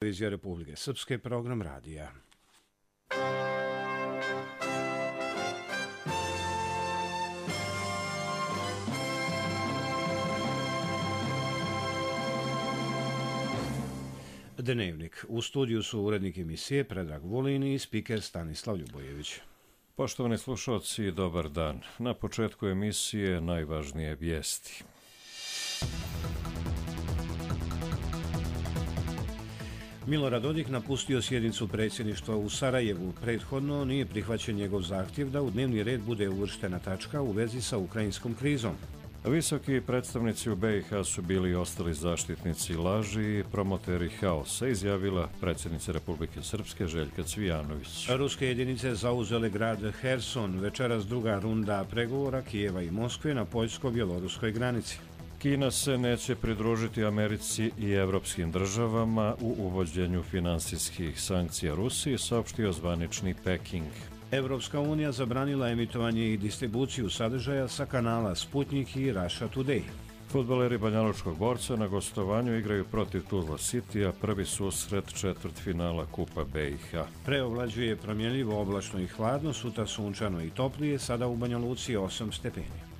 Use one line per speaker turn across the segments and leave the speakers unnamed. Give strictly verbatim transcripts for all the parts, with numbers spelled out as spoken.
Televizija Republike Srpske, program radija. Dnevnik. U studiju su urednik emisije Predrag Vulin i spiker Stanislav Ljubojević.
Poštovani slušalci, dobar dan. Na početku emisije najvažnije vijesti.
Milorad Dodik napustio sjednicu predsjedništva u Sarajevu. Prethodno nije prihvaćen njegov zahtjev da u dnevni red bude uvrštena tačka u vezi sa ukrajinskom krizom.
Visoki predstavnici u B i H su bili i ostali zaštitnici laži i promoteri haosa, izjavila predsjednica Republike Srpske Željka Cvijanović.
Ruske jedinice zauzele grad Herson, večeras druga runda pregovora Kijeva i Moskve na poljsko-bjeloruskoj granici.
Kina se neće pridružiti Americi i evropskim državama u uvođenju finansijskih sankcija Rusiji, saopštio zvanični Peking.
Evropska unija zabranila emitovanje i distribuciju sadržaja sa kanala Sputnik i Russia Today.
Fudbaleri Banjalučkog Borca na gostovanju igraju protiv Tuzla Citya, prvi susret četvrtfinala Kupa B i H.
Preovlađuje promjenljivo, oblačno i hladno, sutra sunčano i toplije, sada u Banja Luci osam stepeni.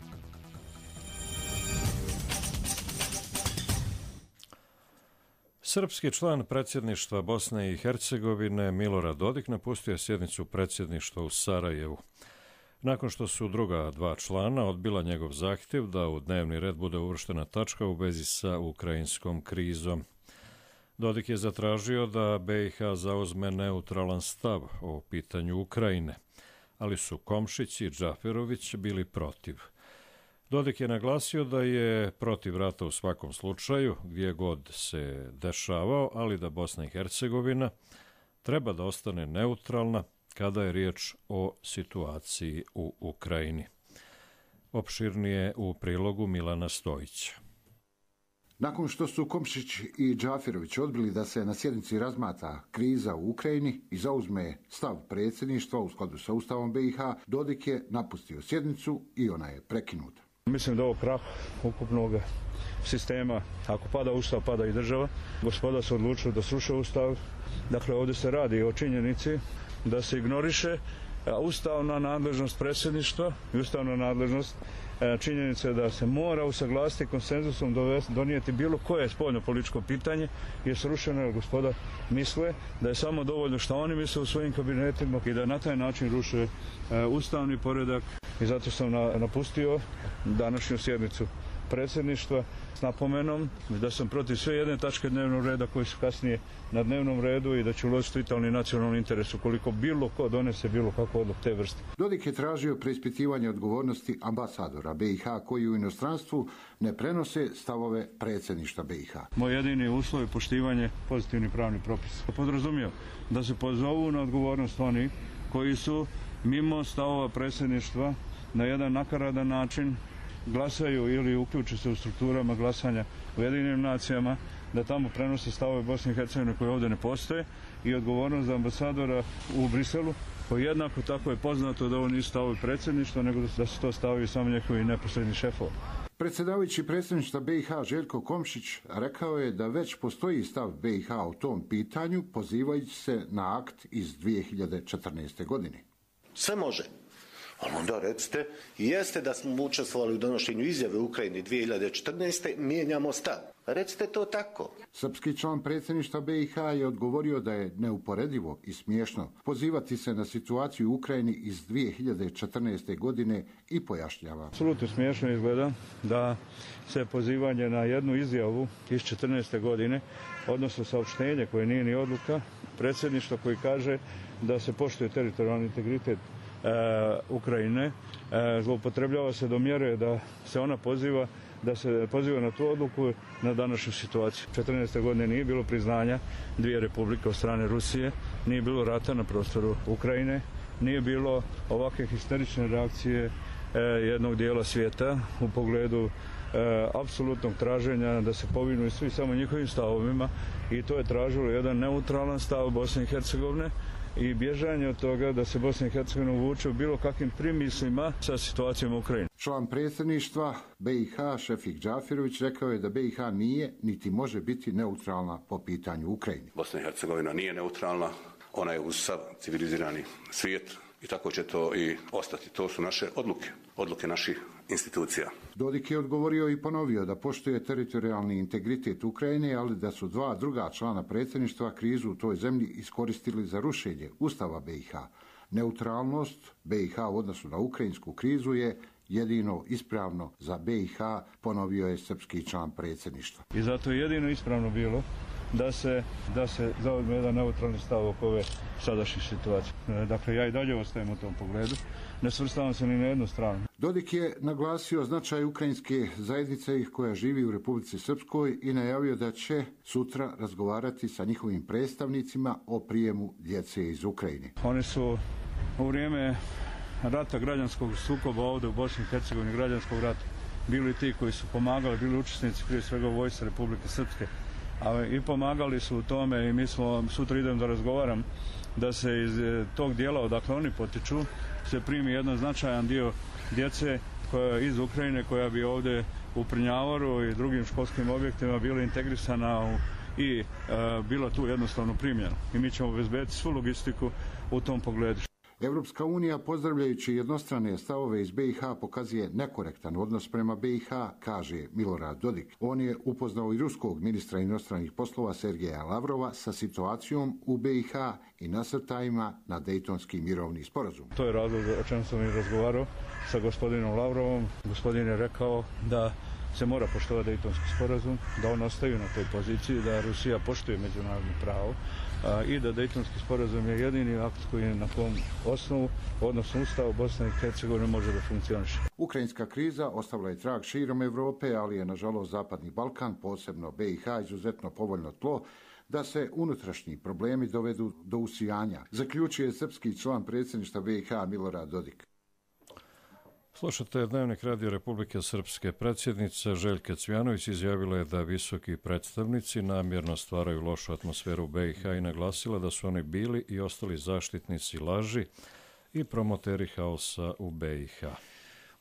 Srpski član predsjedništva Bosne i Hercegovine Milorad Dodik napustio sjednicu predsjedništva u Sarajevu. Nakon što su druga dva člana odbila njegov zahtjev da u dnevni red bude uvrštena tačka u vezi sa ukrajinskom krizom. Dodik je zatražio da B i H zauzme neutralan stav o pitanju Ukrajine, ali su Komšić i Džaferović bili protiv. Dodik je naglasio da je protiv rata u svakom slučaju, gdje god se dešavao, ali da Bosna i Hercegovina treba da ostane neutralna kada je riječ o situaciji u Ukrajini. Opširnije u prilogu Milana Stojića.
Nakon što su Komšić i Džaferović odbili da se na sjednici razmatra kriza u Ukrajini i zauzme stav predsjedništva u skladu sa Ustavom B i H, Dodik je napustio sjednicu i ona je prekinuta.
Mislim da ovo krah ukupnog sistema, ako pada Ustav, pada i država. Gospoda su odlučili da sruše Ustav. Dakle, ovdje se radi o činjenici da se ignoriše ustavna nadležnost predsjedništva i ustavna nadležnost činjenice da se mora usaglasiti konsenzusom donijeti bilo koje spoljno političko pitanje, je srušeno jer gospoda misle da je samo dovoljno što oni misle u svojim kabinetima i da na taj način ruše ustavni poredak. I zato sam napustio današnju sjednicu predsjedništva s napomenom da sam protiv sve jedne tačke dnevnog reda koji su kasnije na dnevnom redu i da ću uložiti vitalni nacionalni interes ukoliko bilo ko donese bilo kakvu odluku te vrste.
Dodik je tražio preispitivanje odgovornosti ambasadora B i H koji u inostranstvu ne prenose stavove predsjedništva B i H.
Moj jedini uslov je poštivanje pozitivnih pravnih propisa. Podrazumio da se pozovu na odgovornost oni koji su mimo stavova predsjedništva na jedan nakaradan način glasaju ili uključe se u strukturama glasanja u Ujedinjenim nacijama, da tamo prenose stavove Bosne i Hercegovine koje ovdje ne postoje i odgovornost za ambasadora u Briselu, koji jednako tako je poznato da ovo nisu stavovi predsjedništva, nego da se to stavaju samo njegovi neposredni šefovi.
Predsjedavajući predsjedništva B i H Željko Komšić rekao je da već postoji stav B i H u tom pitanju, pozivajući se na akt iz dvije hiljade četrnaeste. godine.
Sve može. Ali onda recite, jeste da smo učestvovali u donošenju izjave u Ukrajini dvije hiljade četrnaeste. mijenjamo stav. Recite to tako.
Srpski član predsjedništva B i H je odgovorio da je neuporedivo i smiješno pozivati se na situaciju u Ukrajini iz dvije hiljade četrnaeste. godine i pojašnjava.
Apsolutno smiješno izgleda da se pozivanje na jednu izjavu iz četrnaeste. godine, odnosno saopštenje koje nije ni odluka, predsjedništva koji kaže da se poštuje teritorijalni integritet E, Ukrajine, e, zloupotrebljava se do mjere da se ona poziva da se poziva na tu odluku na današnju situaciju. četrnaeste. godine nije bilo priznanja dvije republike od strane Rusije, nije bilo rata na prostoru Ukrajine, nije bilo ovakve histerične reakcije e, jednog dijela svijeta u pogledu e, apsolutnog traženja da se povinu svi samo njihovim stavovima i to je tražilo jedan neutralan stav Bosne i Hercegovine i bježanje od toga da se Bosna i Hercegovina uvuče u bilo kakvim primislima sa situacijom u Ukrajini.
Član predsjedništva B i H Šefik Džafirović rekao je da B i H nije niti može biti neutralna po pitanju Ukrajine.
Bosna i Hercegovina nije neutralna, ona je uz sav civilizirani svijet i tako će to i ostati. To su naše odluke, odluke naših institucija.
Dodik je odgovorio i ponovio da poštuje teritorijalni integritet Ukrajine, ali da su dva druga člana predsjedništva krizu u toj zemlji iskoristili za rušenje Ustava B i H. Neutralnost B i H u odnosu na ukrajinsku krizu je jedino ispravno za B i H, ponovio je srpski član predsjedništva.
I zato je jedino ispravno bilo da se, da se zauzme jedan neutralni stav oko ove sadašnje situacije. Dakle, ja i dalje ostajem u tom pogledu. Ne svrstavam se ni na jednu stranu.
Dodik je naglasio značaj ukrajinske zajednice koja živi u Republici Srpskoj i najavio da će sutra razgovarati sa njihovim predstavnicima o prijemu djece iz Ukrajine.
Oni su u vrijeme rata, građanskog sukoba ovdje u Bosni i Hercegovini, građanskog rata, bili ti koji su pomagali, bili učesnici prije svega u vojsci Republike Srpske, a i pomagali su u tome i mi smo, sutra idem da razgovaram, da se iz tog dijela odakle oni potiču se primi jedan značajan dio djece koja iz Ukrajine, koja bi ovdje u Prnjavoru i drugim školskim objektima bila integrisana u, i e, bila tu jednostavno primljena. I mi ćemo obezbediti svu logistiku u tom pogledu.
Europska unija, pozdravljajući jednostrane stavove iz B i H, pokazuje nekorektan odnos prema B i H, kaže Milorad Dodik. On je upoznao i ruskog ministra inostranih poslova Sergeja Lavrova sa situacijom u B i H i nasrtajima na Dejtonski mirovni sporazum.
To je razlog o čemu sam i razgovarao sa gospodinom Lavrovom. Gospodin je rekao da se mora poštovati Dejtonski sporazum, da on ostaju na toj poziciji, da Rusija poštuje međunarodno pravo a, i da Dejtonski sporazum je jedini akt koji je na kom osnovu, odnosno Ustavu Bosne i Hercegovine može da funkcioniše.
Ukrajinska kriza ostavila je trag širom Europe, ali je nažalost Zapadni Balkan, posebno B i H, izuzetno povoljno tlo da se unutrašnji problemi dovedu do usijanja, zaključuje srpski član predsjedništva B i H Milorad Dodik.
Slušate Dnevnik Radio Republike Srpske. Predsjednica Željka Cvjanović izjavila je da visoki predstavnici namjerno stvaraju lošu atmosferu u B i H i naglasila da su oni bili i ostali zaštitnici laži i promoteri haosa u B i H.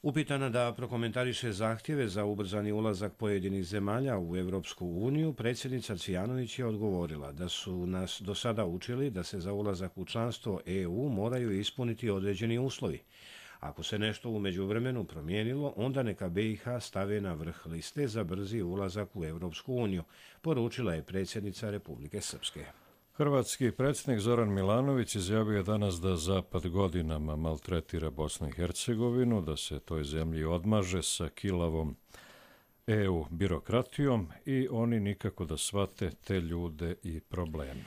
Upitana da prokomentariše zahtjeve za ubrzani ulazak pojedinih zemalja u Europsku uniju, predsjednica Cvjanović je odgovorila da su nas do sada učili da se za ulazak u članstvo E U moraju ispuniti određeni uslovi. Ako se nešto u međuvremenu promijenilo, onda neka B i H stave na vrh liste za brzi ulazak u Europsku uniju, poručila je predsjednica Republike Srpske.
Hrvatski predsjednik Zoran Milanović izjavio je danas da Zapad godinama maltretira Bosnu i Hercegovinu, da se toj zemlji odmaže sa kilavom E U birokratijom i oni nikako da shvate te ljude i probleme.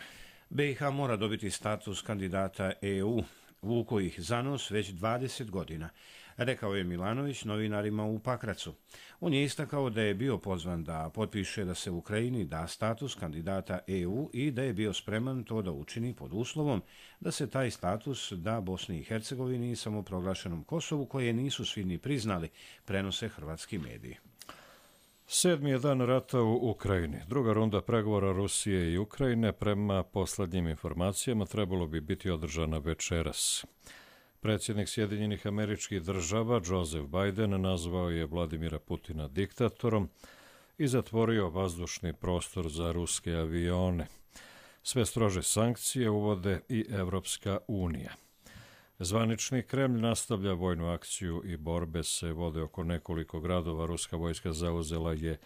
B i H mora dobiti status kandidata E U, vuko ih za nos već dvadeset godina, rekao je Milanović novinarima u Pakracu. On je istakao da je bio pozvan da potpiše da se Ukrajini da status kandidata E U i da je bio spreman to da učini pod uslovom da se taj status da Bosni i Hercegovini i samoproglašenom Kosovu, koje nisu svi ni priznali, prenose hrvatski mediji.
Sedmi je dan rata u Ukrajini. Druga runda pregovora Rusije i Ukrajine prema poslednjim informacijama trebalo bi biti održana večeras. Predsjednik Sjedinjenih Američkih Država Joseph Biden nazvao je Vladimira Putina diktatorom i zatvorio vazdušni prostor za ruske avione. Sve strože sankcije uvode i Evropska unija. Zvanični Kremlj nastavlja vojnu akciju i borbe se vode oko nekoliko gradova. Ruska vojska zauzela je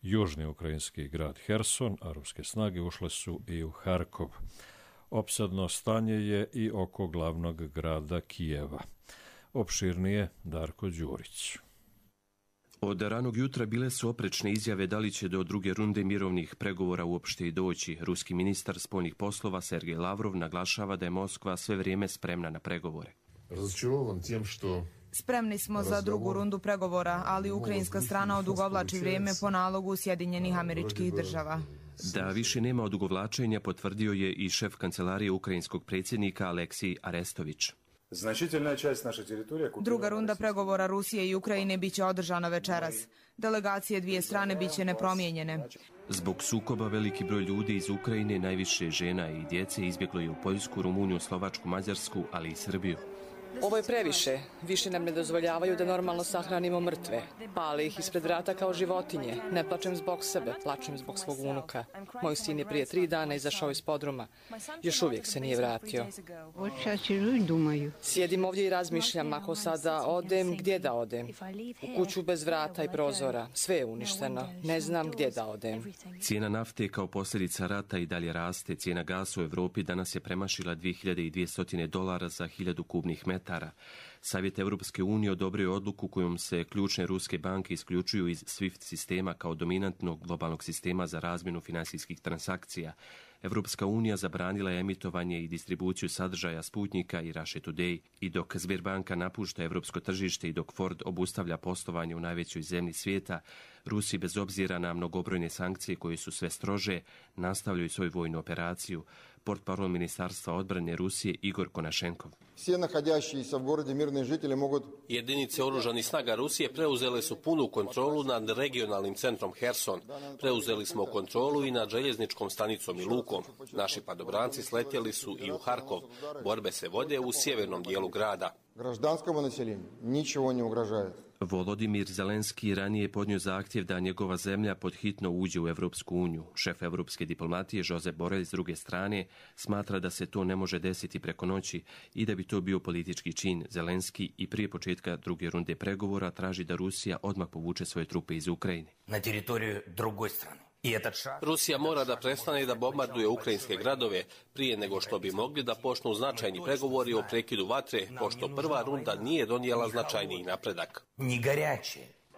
južni ukrajinski grad Herson, a ruske snage ušle su i u Harkov. Opsadno stanje je i oko glavnog grada Kijeva. Opširnije Darko Đurić.
Od ranog jutra bile su oprečne izjave da li će do druge runde mirovnih pregovora uopšte i doći. Ruski ministar spoljnih poslova Sergej Lavrov naglašava da je Moskva sve vrijeme spremna na pregovore.
Spremni smo za drugu rundu pregovora, ali ukrajinska strana odugovlači vrijeme po nalogu Sjedinjenih Američkih Država.
Da više nema odugovlačenja potvrdio je i šef kancelarije ukrajinskog predsjednika Aleksij Arestović.
Значительная часть нашей территории...
Druga runda pregovora Rusije i Ukrajine biće održana večeras. Delegacije dvije strane biće nepromijenjene.
Zbog sukoba veliki broj ljudi iz Ukrajine, najviše žena i djece, izbjeglo je u Poljsku, Rumuniju, Slovačku, Mađarsku, ali i Srbiju.
Ovo je previše. Više nam ne dozvoljavaju da normalno sahranimo mrtve. Pale ih ispred vrata kao životinje. Ne plačem zbog sebe, plačem zbog svog unuka. Moj sin je prije tri dana izašao iz podruma. Još uvijek se nije vratio. Sjedim ovdje i razmišljam, ako sada odem, gdje da odem? U kuću bez vrata i prozora. Sve je uništeno. Ne znam gdje da odem.
Cijena nafte kao posljedica rata i dalje raste. Cijena gasa u Europi danas je premašila dvije hiljade dvjesto dolara za hiljadu kubnih metara. Savjet Europske unije odobrio je odluku kojom se ključne ruske banke isključuju iz SWIFT sistema kao dominantnog globalnog sistema za razmjenu financijskih transakcija. Europska unija zabranila je emitovanje i distribuciju sadržaja Sputnika i Russia Today. I dok Sberbanka napušta europsko tržište i dok Ford obustavlja poslovanje u najvećoj zemlji svijeta, Rusi bez obzira na mnogobrojne sankcije koje su sve strože nastavljaju svoju vojnu operaciju. Portparol Ministarstva odbrane Rusije Igor Konašenkov.
Jedinice oružanih snaga Rusije preuzele su punu kontrolu nad regionalnim centrom Herson. Preuzeli smo kontrolu i nad željezničkom stanicom i lukom. Naši padobranci sletjeli su i u Harkov. Borbe se vode u sjevernom dijelu grada.
Volodimir Zelenski ranije je podnio zahtjev da njegova zemlja podhitno uđe u Europsku uniju. Šef europske diplomatije Josep Borrell s druge strane smatra da se to ne može desiti preko noći i da bi to bio politički čin. Zelenski i prije početka druge runde pregovora traži da Rusija odmah povuče svoje trupe iz Ukrajine.
Na teritoriju drugoj strane.
Rusija mora da prestane da bombarduje ukrajinske gradove prije nego što bi mogli da počnu značajni pregovori o prekidu vatre, pošto prva runda nije donijela značajniji napredak.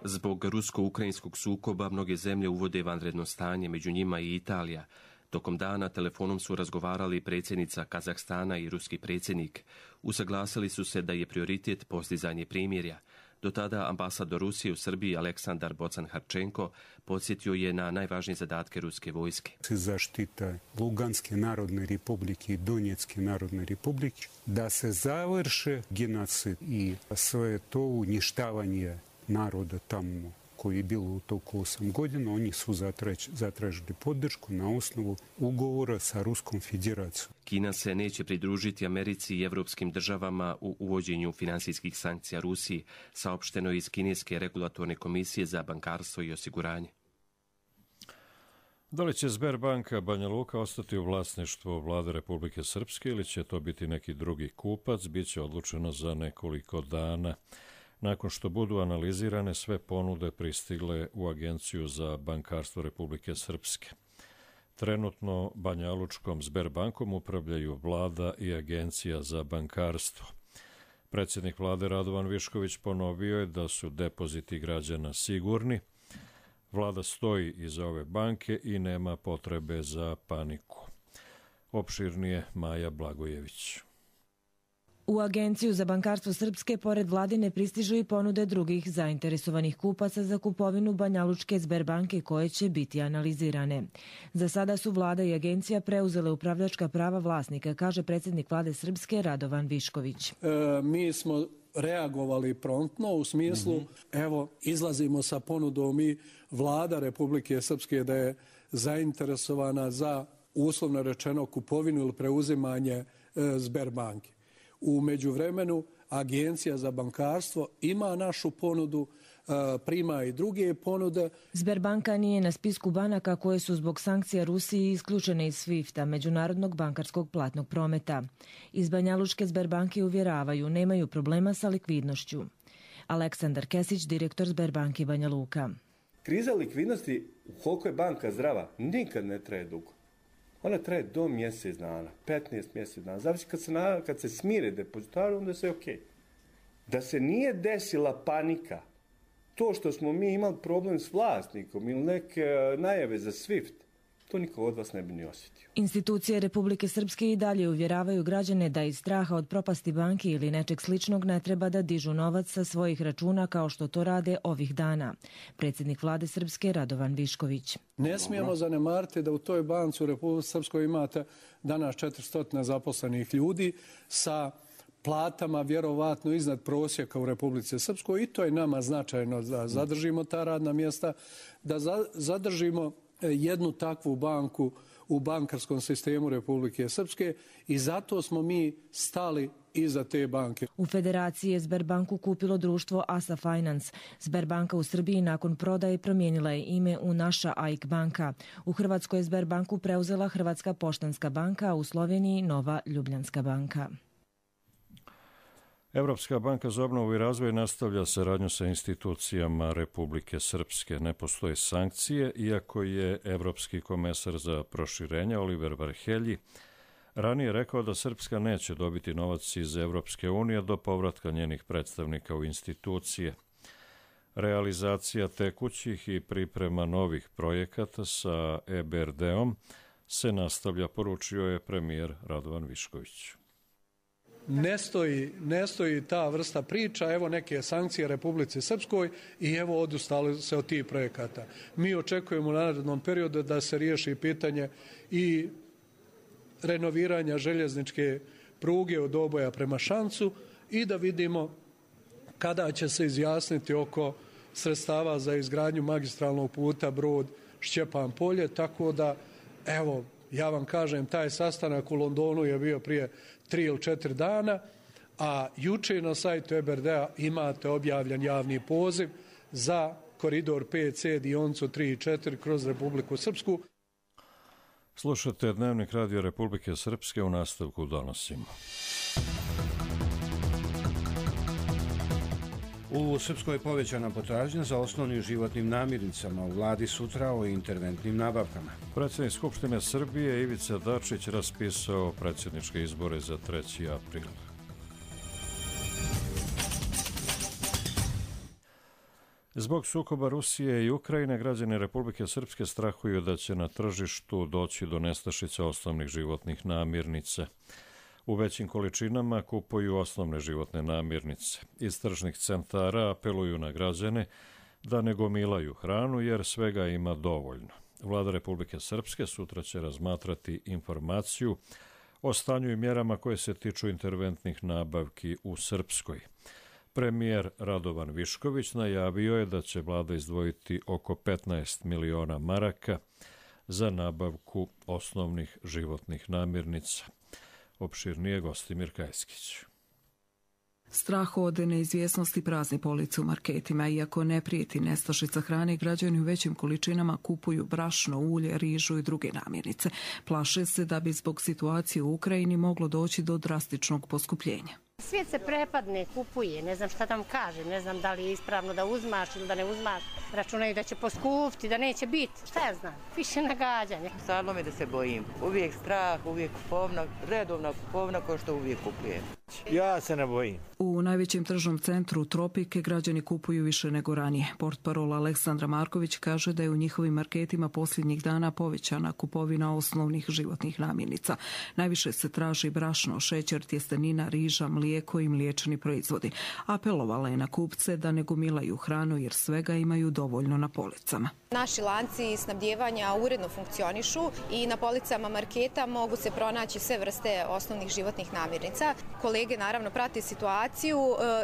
Zbog rusko-ukrajinskog sukoba mnoge zemlje uvode vanredno stanje, među njima i Italija. Tokom dana telefonom su razgovarali predsjednica Kazahstana i ruski predsjednik. Usaglasili su se da je prioritet postizanje primirja. Do tada ambasador Rusije u Srbiji Aleksandar Bocan-Harčenko podsjetio je na najvažnije zadatke ruske vojske.
Zaštita Luganske narodne republike i Donjetske narodne republike, da se završe genocid i sve to uništavanje naroda tamo koji je bilo u toku osam godina, oni su zatražili podršku na osnovu ugovora sa Ruskom federacijom.
Kina se neće pridružiti Americi i evropskim državama u uvođenju finansijskih sankcija Rusiji, saopšteno iz Kineske regulatorne komisije za bankarstvo i osiguranje.
Da li će Sberbanka Banja Luka ostati u vlasništvu Vlade Republike Srpske ili će to biti neki drugi kupac, bit će odlučeno za nekoliko dana. Nakon što budu analizirane sve ponude pristigle u Agenciju za bankarstvo Republike Srpske. Trenutno Banjalučkom Sberbankom upravljaju Vlada i Agencija za bankarstvo. Predsjednik Vlade Radovan Višković ponovio je da su depoziti građana sigurni. Vlada stoji iza ove banke i nema potrebe za paniku. Opširnije Maja Blagojević.
U Agenciju za bankarstvo Srpske pored vladine pristižu i ponude drugih zainteresovanih kupaca za kupovinu Banjalučke Sberbanke koje će biti analizirane. Za sada su Vlada i Agencija preuzele upravljačka prava vlasnika, kaže predsjednik Vlade Srpske Radovan Višković.
E, mi smo reagovali promptno u smislu, mm-hmm. evo, izlazimo sa ponudom i Vlada Republike Srpske da je zainteresovana za uslovno rečeno kupovinu ili preuzimanje e, Sberbanke. U međuvremenu Agencija za bankarstvo ima našu ponudu, prima i druge ponude.
Sberbanka nije na spisku banaka koje su zbog sankcija Rusiji isključene iz svifta, međunarodnog bankarskog platnog prometa. Iz Banjalučke Sberbanke uvjeravaju, nemaju problema sa likvidnošću. Aleksandar Kesić, direktor Sberbanke Banja Luka.
Kriza likvidnosti, koliko je banka zdrava, nikad ne traje dugo. Ona traje do mjesec dana, petnaest mjesec dana. Zavisi kad se, na, kad se smire depozitari, onda sve je okej. Okay. Da se nije desila panika, to što smo mi imali problem s vlasnikom ili neke najave za SWIFT, to niko od vas ne bi ni osjetio.
Institucije Republike Srpske i dalje uvjeravaju građane da iz straha od propasti banke ili nečeg sličnog ne treba da dižu novac sa svojih računa kao što to rade ovih dana. Predsjednik Vlade Srpske Radovan Višković.
Ne smijemo zanemariti da u toj banci u Republike Srpskoj imate danas četiristo zaposlenih ljudi sa platama vjerovatno iznad prosjeka u Republici Srpskoj i to je nama značajno da zadržimo ta radna mjesta, da za, zadržimo jednu takvu banku u bankarskom sistemu Republike Srpske i zato smo mi stali iza te banke.
U Federaciji je Sberbanku kupilo društvo Asa Finance. Sberbanka u Srbiji nakon prodaje promijenila je ime u Naša A I K banka. U Hrvatskoj je Sberbanku preuzela Hrvatska poštanska banka, a u Sloveniji Nova Ljubljanska banka.
Evropska banka za obnovu i razvoj nastavlja saradnju sa institucijama Republike Srpske. Ne postoje sankcije, iako je Evropski komesar za proširenje Oliver Varhelji ranije rekao da Srpska neće dobiti novac iz Evropske unije do povratka njenih predstavnika u institucije. Realizacija tekućih i priprema novih projekata sa E B R D-om se nastavlja, poručio je premijer Radovan Višković.
Ne stoji, ne stoji ta vrsta priča, evo neke sankcije Republici Srpskoj i evo odustali se od tih projekata. Mi očekujemo u narednom periodu da se riješi pitanje i renoviranja željezničke pruge od Oboja prema Šancu i da vidimo kada će se izjasniti oko sredstava za izgradnju magistralnog puta Brod Šćepan Polje, tako da evo ja vam kažem, taj sastanak u Londonu je bio prije tri ili četiri dana, a juče na sajtu E B R D-a imate objavljen javni poziv za koridor pet C dionicu tri i četiri kroz Republiku Srpsku.
Slušate Dnevnik Radio Republike Srpske, u nastavku donosimo.
U Srpskoj je povećana potražnja za osnovnim životnim namirnicama, u vladi sutra o interventnim nabavkama.
Predsjednik Skupštine Srbije Ivica Dačić raspisao predsjedničke izbore za treći april. Zbog sukoba Rusije i Ukrajine, građani Republike Srpske strahuju da će na tržištu doći do nestašice osnovnih životnih namirnica. U većim količinama kupuju osnovne životne namirnice. Iz tržnih centara apeluju na građane da ne gomilaju hranu jer svega ima dovoljno. Vlada Republike Srpske sutra će razmatrati informaciju o stanju i mjerama koje se tiču interventnih nabavki u Srpskoj. Premijer Radovan Višković najavio je da će vlada izdvojiti oko petnaest miliona maraka za nabavku osnovnih životnih namirnica. Opširnije Gostimir Kajskić.
Strah od neizvjesnosti prazni police u marketima. Iako ne prijeti nestašica hrane, građani u većim količinama kupuju brašno, ulje, rižu i druge namirnice. Plaše se da bi zbog situacije u Ukrajini moglo doći do drastičnog poskupljenja.
Svijet se prepadne, kupuje, ne znam šta tam kaže, ne znam da li je ispravno da uzmaš ili da ne uzmaš. Računaju da će poskupiti, da neće biti. Šta ja znam, više nagađanje.
Stvarno mi da se bojim. Uvijek strah, uvijek kupovna, redovna kupovna ko što uvijek kupujem.
Ja se ne bojim.
U najvećem tržnom centru Tropike građani kupuju više nego ranije. Portparol Aleksandra Marković kaže da je u njihovim marketima posljednjih dana povećana kupovina osnovnih životnih namirnica. Najviše se traži brašno, šećer, tjestenina, riža, mlijeko i mliječni proizvodi. Apelovala je na kupce da ne gomilaju hranu jer svega imaju dovoljno na policama.
Naši lanci snabdijevanja uredno funkcionišu i na policama marketa mogu se pronaći sve vrste osnovnih životnih namirnica. Kolege naravno prate situaciju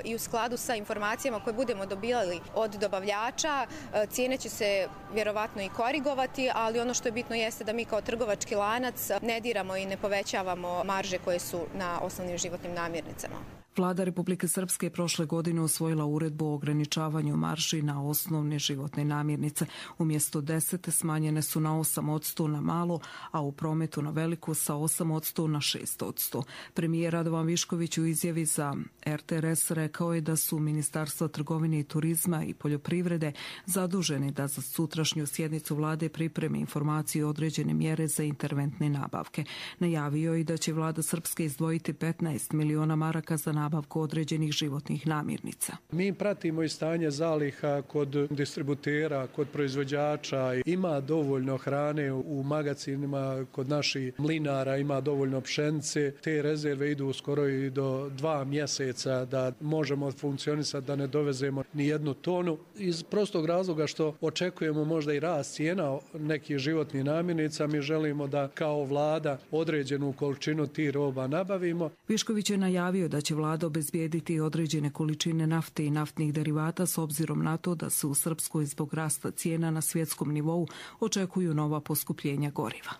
i u skladu sa informacijama koje budemo dobijali od dobavljača, cijene će se vjerovatno i korigovati, ali ono što je bitno jeste da mi kao trgovački lanac ne diramo i ne povećavamo marže koje su na osnovnim životnim namirnicama.
Vlada Republike Srpske je prošle godine usvojila uredbu o ograničavanju marži na osnovne životne namirnice. Umjesto deset smanjene su na osam posto na malo, a u prometu na veliku sa osam posto na šest posto. Premijer Radovan Višković u izjavi za R T R S rekao je da su Ministarstvo trgovine i turizma i poljoprivrede zaduženi da za sutrašnju sjednicu vlade pripreme informaciju i određene mjere za interventne nabavke. Najavio je da će vlada Srpske izdvojiti petnaest miliona maraka za nabavku određenih životnih namirnica.
Mi pratimo i stanje zaliha kod distributera, kod proizvođača. Ima dovoljno hrane u magazinima, kod naših mlinara ima dovoljno pšenice. Te rezerve idu skoro i do dva mjeseca da možemo funkcionisati, da ne dovezemo ni jednu tonu. Iz prostog razloga što očekujemo možda i rast cijena nekih životnih namirnica, mi želimo da kao vlada određenu količinu tih roba nabavimo.
Višković je najavio da će vlada vlada obezbijediti određene količine nafte i naftnih derivata s obzirom na to da se u Srpskoj zbog rasta cijena na svjetskom nivou očekuju nova poskupljenja goriva.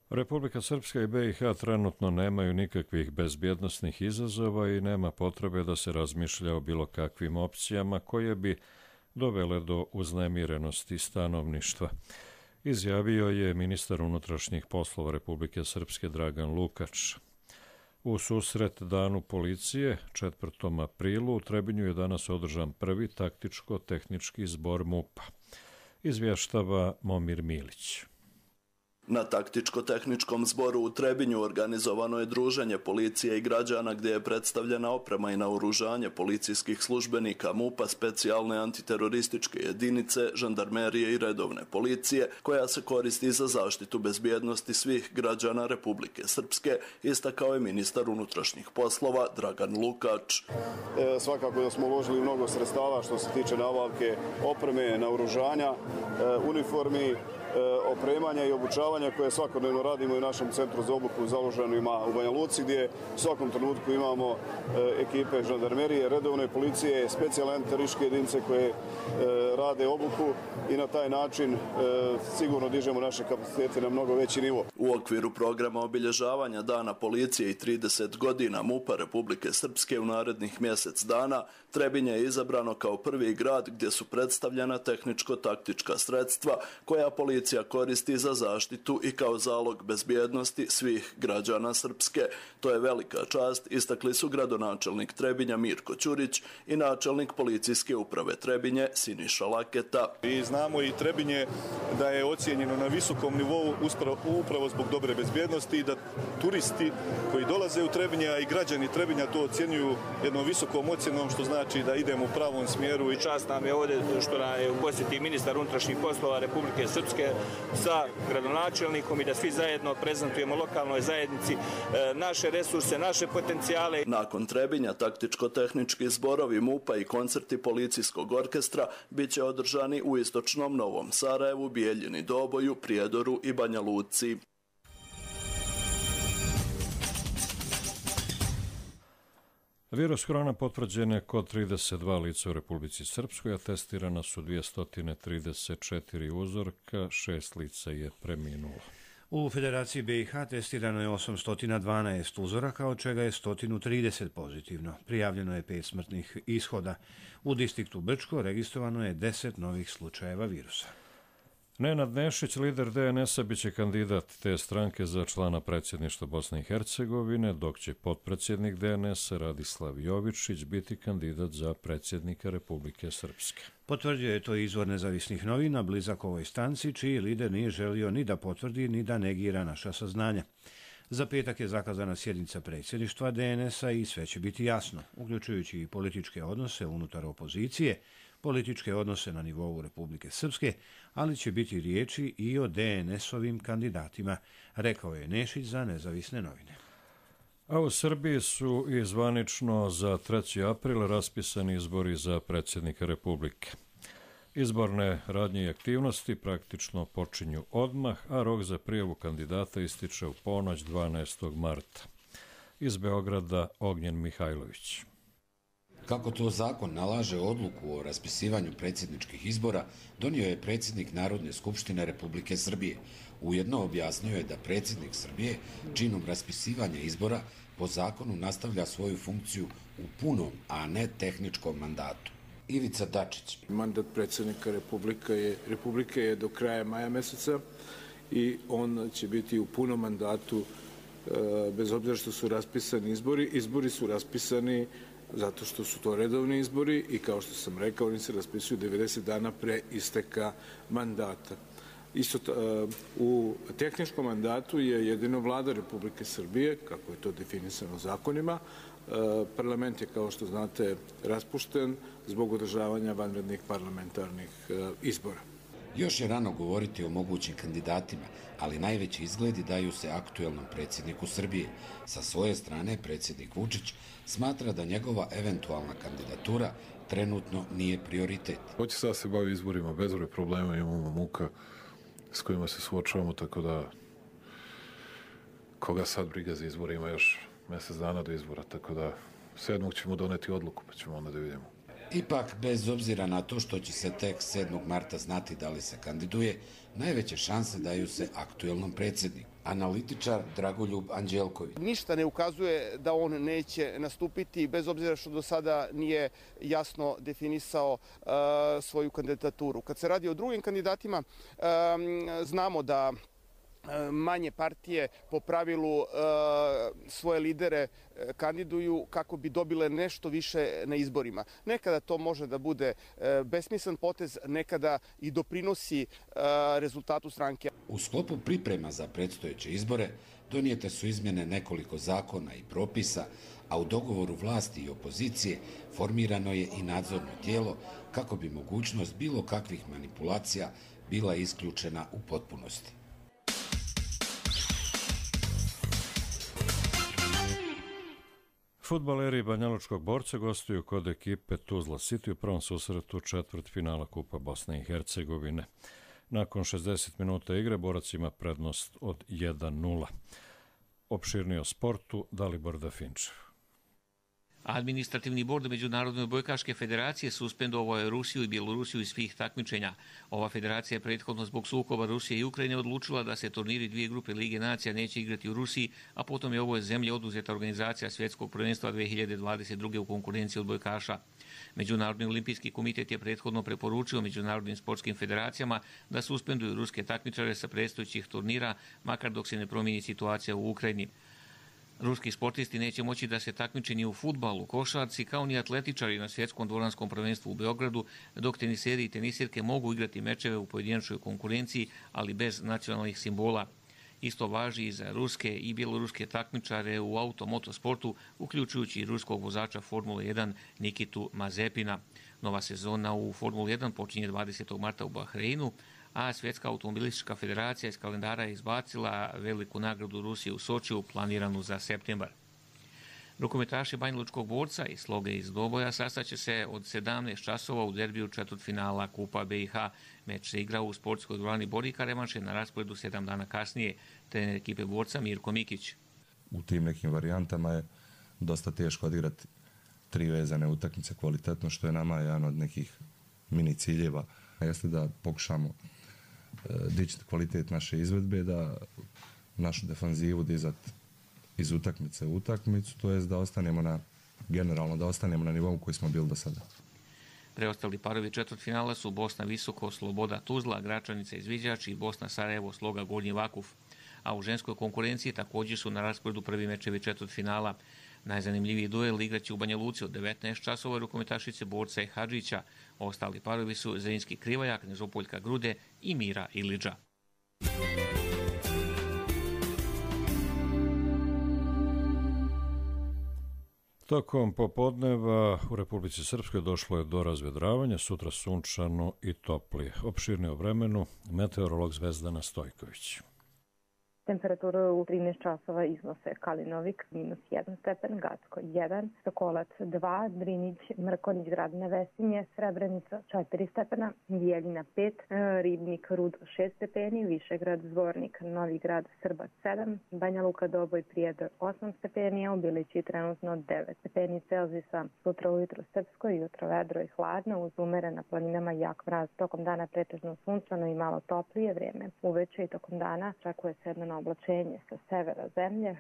Republika Srpska i be i ha trenutno nemaju nikakvih bezbjednosnih izazova i nema potrebe da se razmišlja o bilo kakvim opcijama koje bi dovele do uznemirenosti stanovništva. Izjavio je ministar unutrašnjih poslova Republike Srpske Dragan Lukač. U susret danu policije, četvrtom aprilu, u Trebinju je danas održan prvi taktičko-tehnički zbor MUP-a. Izvještava Momir Milić.
Na taktičko-tehničkom zboru u Trebinju organizovano je druženje policije i građana gdje je predstavljena oprema i naoružanje policijskih službenika MUP-a, specijalne antiterorističke jedinice, žandarmerije i redovne policije, koja se koristi za zaštitu bezbjednosti svih građana Republike Srpske, istakao je ministar unutrašnjih poslova Dragan Lukač.
E, svakako da smo uložili mnogo sredstava što se tiče nabavke opreme, naoružanja, e, uniformi, opremanja i obučavanja koje svakodnevno radimo u našem centru za obuku založenima u Banja Luci, gdje u svakom trenutku imamo ekipe žandarmerije, redovne policije, specijalne antiterorističke jedinice koje rade obuku i na taj način sigurno dižemo naše kapacitete na mnogo veći nivo.
U okviru programa obilježavanja Dana policije i trideset godina MUP-a Republike Srpske u narednih mjesec dana, Trebinje je izabrano kao prvi grad gdje su predstavljena tehničko-taktička sredstva koja policija koristi za zaštitu i kao zalog bezbjednosti svih građana Srpske. To je velika čast, istakli su gradonačelnik Trebinja Mirko Ćurić i načelnik policijske uprave Trebinje Siniša Laketa.
I znamo i Trebinje da je ocijenjeno na visokom nivou upravo zbog dobre bezbjednosti i da turisti koji dolaze u Trebinje, a i građani Trebinja to ocjenjuju jednom visokom ocjenom, što znači da idemo u pravom smjeru.
I čast nam je ovdje što nam je u posjeti ministar unutrašnjih poslova Republike Srpske sa gradonačelnikom i da svi zajedno prezentujemo lokalnoj zajednici naše resurse, naše potencijale.
Nakon Trebinja taktičko-tehnički zborovi MUP-a i koncerti policijskog orkestra bit će održani u istočnom Novom Sarajevu, Bijeljini Doboju, Prijedoru i Banja Luci.
Virus korona potvrđen je kod trideset dva lica u Republici Srpskoj, a testirana su dvjesto trideset četiri uzorka, šest lica je preminulo.
U Federaciji be i ha testirano je osamsto dvanaest uzoraka, od čega je sto trideset pozitivno. Prijavljeno je pet smrtnih ishoda. U distriktu Brčko registrovano je deset novih slučajeva virusa.
Nenad Nešić, lider de en es a, biće kandidat te stranke za člana predsjedništva Bosne i Hercegovine, dok će potpredsjednik de en es a Radislav Jovičić biti kandidat za predsjednika Republike Srpske.
Potvrdio je to izvor nezavisnih novina, blizak ovoj stanci, čiji lider nije želio ni da potvrdi, ni da negira naša saznanja. Za petak je zakazana sjednica predsjedništva de en es a i sve će biti jasno, uključujući i političke odnose unutar opozicije, političke odnose na nivou Republike Srpske, ali će biti riječi i o de en es-ovim kandidatima, rekao je Nešić za nezavisne novine.
A u Srbiji su i zvanično za treći april raspisani izbori za predsjednika Republike. Izborne radnje i aktivnosti praktično počinju odmah, a rok za prijavu kandidata ističe u ponoć dvanaestog marta. Iz Beograda Ognjen Mihajlović.
Kako to zakon nalaže, odluku o raspisivanju predsjedničkih izbora donio je predsjednik Narodne skupštine Republike Srbije. Ujedno objasnio je da predsjednik Srbije činom raspisivanja izbora po zakonu nastavlja svoju funkciju u punom, a ne tehničkom mandatu. Ivica Dačić.
Mandat predsjednika Republike je, Republike je do kraja maja meseca i on će biti u punom mandatu bez obzira što su raspisani izbori. Izbori su raspisani zato što su to redovni izbori i kao što sam rekao, oni se raspisuju devedeset dana pre isteka mandata. Isto u tehničkom mandatu je jedino vlada Republike Srbije, kako je to definisano zakonima. Parlament je, kao što znate, raspušten zbog održavanja vanrednih parlamentarnih izbora.
Još je rano govoriti o mogućim kandidatima, ali najveći izgledi daju se aktuelnom predsjedniku Srbije. Sa svoje strane, predsjednik Vučić smatra da njegova eventualna kandidatura trenutno nije prioritet.
Hoće sad se bavi izborima, bezbroj problema, imamo muka s kojima se suočavamo, tako da koga sad briga za izborima još mjesec dana do izbora, tako da sedmog ćemo doneti odluku, pa ćemo onda da vidimo.
Ipak, bez obzira na to što će se tek sedmog marta znati da li se kandiduje, najveće šanse daju se aktuelnom predsjedniku. Analitičar Dragoljub Anđelković.
Ništa ne ukazuje da on neće nastupiti, bez obzira što do sada nije jasno definisao uh, svoju kandidaturu. Kad se radi o drugim kandidatima, um, znamo da manje partije po pravilu svoje lidere kandiduju kako bi dobile nešto više na izborima. Nekada to može da bude besmislen potez, nekada i doprinosi rezultatu stranke.
U sklopu priprema za predstojeće izbore donijete su izmjene nekoliko zakona i propisa, a u dogovoru vlasti i opozicije formirano je i nadzorno tijelo kako bi mogućnost bilo kakvih manipulacija bila isključena u potpunosti.
Fudbaleri Banjalučkog Borca gostuju kod ekipe Tuzla City u prvom susretu četvrtfinala Kupa Bosne i Hercegovine. Nakon šezdeset minuta igre Borac ima prednost od jedan nula. Opširnije o sportu Dalibor Dafinčev.
Administrativni bord Međunarodne odbojkaške federacije suspendovao je Rusiju i Bjelorusiju iz svih takmičenja. Ova federacija je prethodno zbog sukoba Rusije i Ukrajine odlučila da se turniri dvije grupe Lige nacija neće igrati u Rusiji, a potom je ovoj zemlji oduzeta organizacija svjetskog prvenstva dve hiljade dvadeset druge u konkurenciji odbojkaša. Međunarodni olimpijski komitet je prethodno preporučio međunarodnim sportskim federacijama da suspenduju ruske takmičare sa predstojećih turnira, makar dok se ne promijeni situacija u Ukrajini. Ruski sportisti neće moći da se takmiče ni u fudbalu, košarci, kao ni atletičari na svjetskom dvoranskom prvenstvu u Beogradu, dok teniseri i tenisirke mogu igrati mečeve u pojedinačnoj konkurenciji, ali bez nacionalnih simbola. Isto važi i za ruske i bjeloruske takmičare u automotosportu, uključujući i ruskog vozača Formule jedan Nikitu Mazepina. Nova sezona u Formuli jedan počinje dvadesetog marta u Bahreinu, a Svjetska automobilistička federacija iz kalendara je izbacila veliku nagradu Rusije u Sočiju, planiranu za septembar. Rukometaši Banjalučkog Borca i Sloge iz Doboja sastaće se od sedamnaest časova u derbiju četvrtfinala Kupa B i H. Meč se igra u sportskoj dvorani Borika, revanš je na rasporedu sedam dana kasnije. Trener ekipe Borca Mirko Mikić.
U tim nekim varijantama je dosta teško odigrati tri vezane utakmice kvalitetno, što je nama jedan od nekih mini ciljeva. Jeste da pokušamo dići kvalitet naše izvedbe, da našu defanzivu dizati iz utakmice u utakmicu, to je da ostanemo na, generalno da ostanemo na nivou koji smo bili do sada.
Preostali parovi četvrtfinala su Bosna Visoko, Sloboda Tuzla, Gračanica Izviđač i Bosna Sarajevo, Sloga Gornji Vakuf. A u ženskoj konkurenciji također su na rasporedu prvi mečevi četvrtfinala. Najzanimljiviji duel igraće u Banja Luci od devetnaest časova rukometašice Borca i Hadžića. Ostali parovi su Zrinski Krivajak, Nežopoljka Grude i Mira Iliđa.
Tokom popodneva u Republici Srpskoj došlo je do razvedravanja, sutra sunčano i toplije. Opširnije o vremenu meteorolog Zvezdana Stojković.
Temperature u trinaest časova iznose Kalinovik minus jedan stepen, Gacko jedan, Sokolac dva, Drinić, Mrkonjić, Grad Nevesinje, Srebrenica četiri stepena, Bijeljina pet, Ribnik, Rud šest stepeni, Višegrad, Zvornik, Novi Grad, Srbac sedam, Banja Luka, Doboj, Prijedor osam stepeni, a u Bilići trenutno devet stepeni Celzijusa. Sutra ujutro srpsko, jutro vedro i hladno, uz umere na planinama jak mraz. Tokom dana pretežno sunčano i malo toplije vrijeme. Uveče i tokom dana očekuje se jedno oblačenje sa severa zemlje,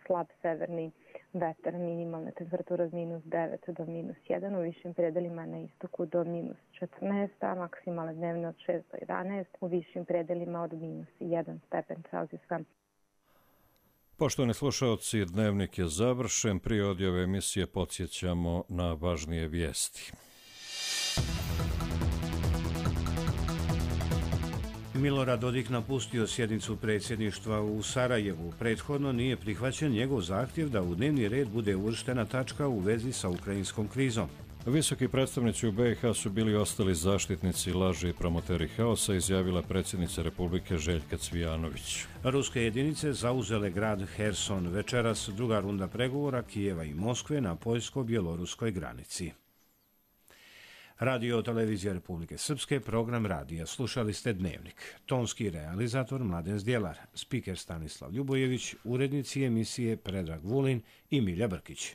slab severni vetar, minimalna temperatura od minus devet do minus jedan, u višim predelima na istoku do minus četrnaest, a maksimalne dnevne od šest do jedanaest, u višim predelima od minus jedan stepen Celzijusa.
Poštovani slušalci, dnevnik je završen. Prije odjave emisije podsjećamo na važnije vijesti.
Milorad Dodik napustio sjednicu predsjedništva u Sarajevu. Prethodno nije prihvaćen njegov zahtjev da u dnevni red bude uvrštena tačka u vezi sa ukrajinskom krizom.
Visoki predstavnici u B i H su bili ostali zaštitnici laži i promoteri haosa, izjavila predsjednica Republike Željka Cvijanović.
Ruske jedinice zauzele grad Herson. Večeras druga runda pregovora Kijeva i Moskve na poljsko-bjeloruskoj granici. Radio Televizija Republike Srpske, program radija. Slušali ste Dnevnik. Tonski realizator Mladen Zdjelar, spiker Stanislav Ljubojević, urednici emisije Predrag Vulin i Milja Brkić.